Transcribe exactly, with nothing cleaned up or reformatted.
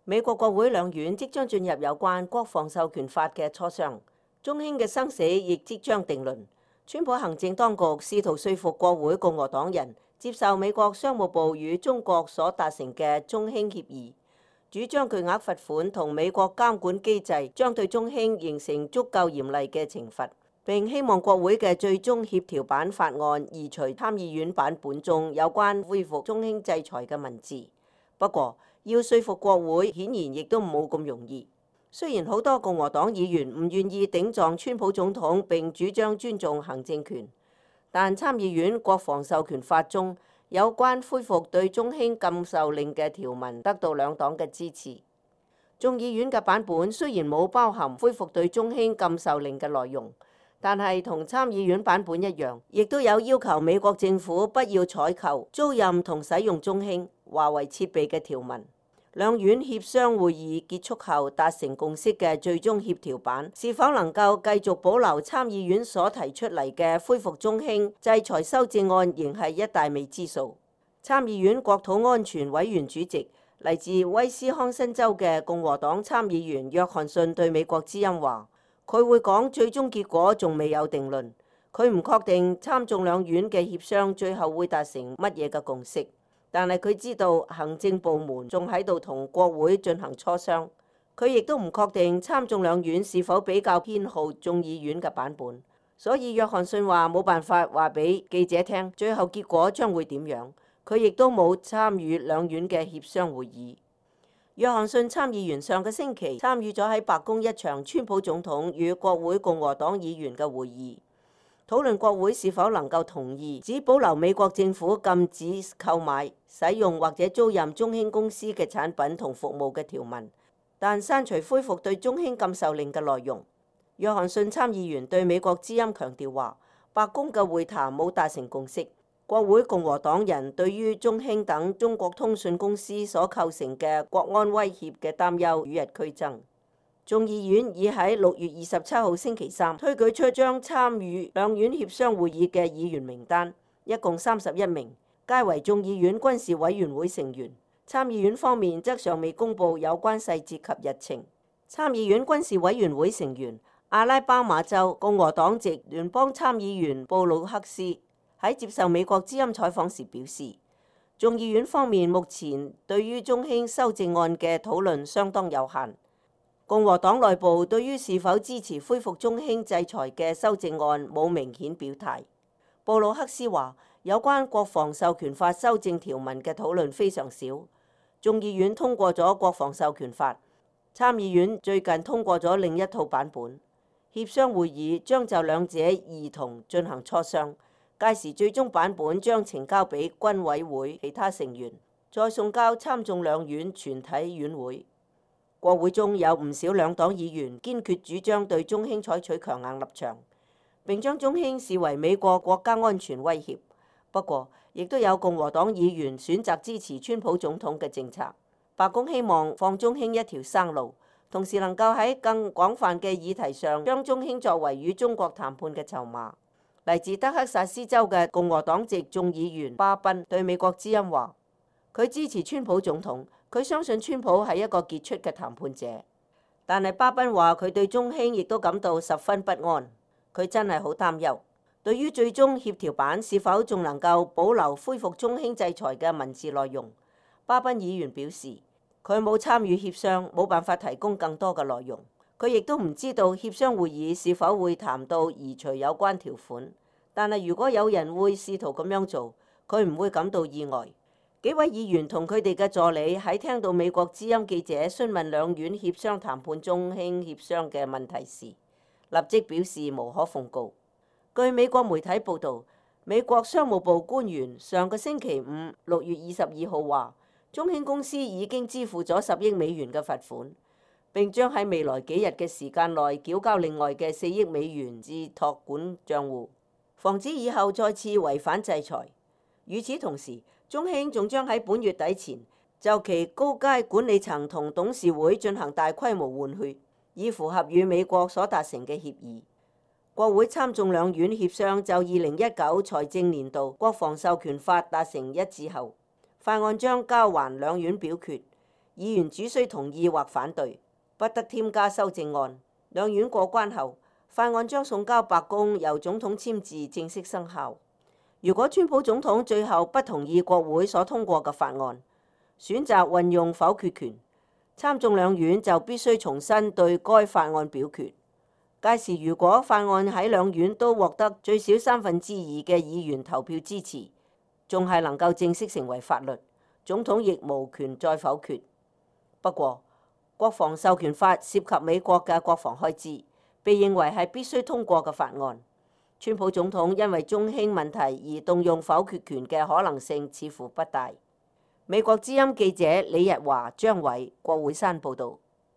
美國國會兩院即將進入有關國防授權法嘅磋商，中興嘅生死亦即將定論。川普行政當局試圖說服國會共和黨人接受美國商務部與中國所達成嘅中興協議，主張巨額罰款同美國監管機制將對中興形成足夠嚴厲嘅懲罰，並希望國會嘅最終協調版法案移除參議院版本中有關恢復中興制裁嘅文字。不過，要說服國會顯然亦都冇咁容易。雖然好多共和黨議員唔願意頂撞川普總統並主張尊重行政權，但參議院國防授權法中有關恢復對中興禁售令嘅條文得到兩黨嘅支持。眾議院嘅版本雖然冇包含恢復對中興禁售令嘅內容，但係同參議院版本一樣，亦都有要求美國政府不要採購、租賃同使用中興、華為設備嘅條文。兩院協商會議結束後達成共識嘅最終協調版，是否能夠繼續保留參議院所提出嚟嘅恢復中興制裁修正案，仍係一大未知數。參議院國土安全委員主席嚟自威斯康辛州嘅共和黨參議員約翰遜對美國之音話，佢會講最終結果仲未有定論，佢唔確定參眾兩院嘅協商最後會達成乜嘢嘅共識。但係佢知道行政部門仲喺度同國會進行磋商，佢亦都唔確定參眾兩院是否比較偏好眾議院嘅版本，所以約翰遜話冇辦法話俾記者聽最後結果將會點樣。佢亦都冇參與兩院嘅協商會議。約翰遜參議員上個星期參與咗喺白宮一場川普總統與國會共和黨議員嘅會議，討論國會是否能夠同意只保留美國政府禁止購買、使用或者租賃中興公司嘅產品同服務嘅條文，但刪除恢復對中興禁售令嘅內容。約翰遜參議員對美國之音強調話，白宮嘅會談冇達成共識，國會共和黨人對於中興等中國通訊公司所構成嘅國安威脅嘅擔憂與日俱增。眾議院已喺六月二十七號星期三推舉出將參與兩院協商會議嘅議員名單，一共三十一名，皆為眾議院軍事委員會成員。參議院方面則尚未公布有關細節及日程。參議院軍事委員會成員阿拉巴馬州共和黨籍聯邦參議員布魯克斯喺接受美國之音採訪時表示，眾議院方面目前對於中興修正案嘅討論相當有限。共和黨內部對於是否支持恢復中興制裁嘅修正案冇明顯表態。布魯克斯話，有關國防授權法修正條文嘅討論非常少。眾議院通過咗國防授權法，參議院最近通過咗另一套版本。協商會議將就兩者兒童進行磋商，屆時最終版本將呈交俾軍委會其他成員，再送交參眾兩院全體院會。國會中有唔少兩黨議員堅決主張對中興採取強硬立場，並將中興視為美國國家安全威脅。不過，亦都有共和黨議員選擇支持川普總統嘅政策。白宮希望放中興一條生路，同時能夠喺更廣泛嘅議題上將中興作為與中國談判嘅籌碼。嚟自德克薩斯州嘅共和黨籍眾議員巴賓對美國之音話，佢支持川普總統。佢相信川普係一個傑出嘅談判者，但係巴賓話佢對中興亦都感到十分不安。佢真係好擔憂，對於最終協調版是否仲能夠保留恢復中興制裁嘅文字內容，巴賓議員表示佢冇參與協商，冇辦法提供更多嘅內容。佢亦都唔知道協商會議是否會談到移除有關條款，但係如果有人會試圖咁樣做，佢唔會感到意外。幾位議員同佢哋嘅助理喺聽到美國之音記者詢問兩院協商談判中興協商嘅問題時，立即表示無可奉告。據美國媒體報導，美國商務部官員上個星期五六月二十二號話，中興公司已經支付咗十億美元嘅罰款，並將喺未來幾日嘅時間內繳交另外嘅四億美元至託管帳戶，防止以後再次違反制裁。與此同時，中興仲將喺本月底前就其高階管理層同董事會進行大規模換血，以符合與美國所達成嘅協議。國會參眾兩院協商就二零一九財政年度國防授權法達成一致後，法案將交還兩院表決，議員只需同意或反對，不得添加修正案。兩院過關後，法案將送交白宮，由總統簽字正式生效。如果川普總統最後不同意國會所通過嘅法案，選擇運用否決權，參眾兩院就必須重新對該法案表決。屆時如果法案喺兩院都獲得最少三分之二嘅議員投票支持，仲係能夠正式成為法律，總統亦無權再否決。不過，國防授權法涉及美國嘅國防開支，被認為係必須通過嘅法案。川普總統因為中興問題而動用否決權嘅可能性似乎不大。美國之音記者李日華、張偉、郭會山報導。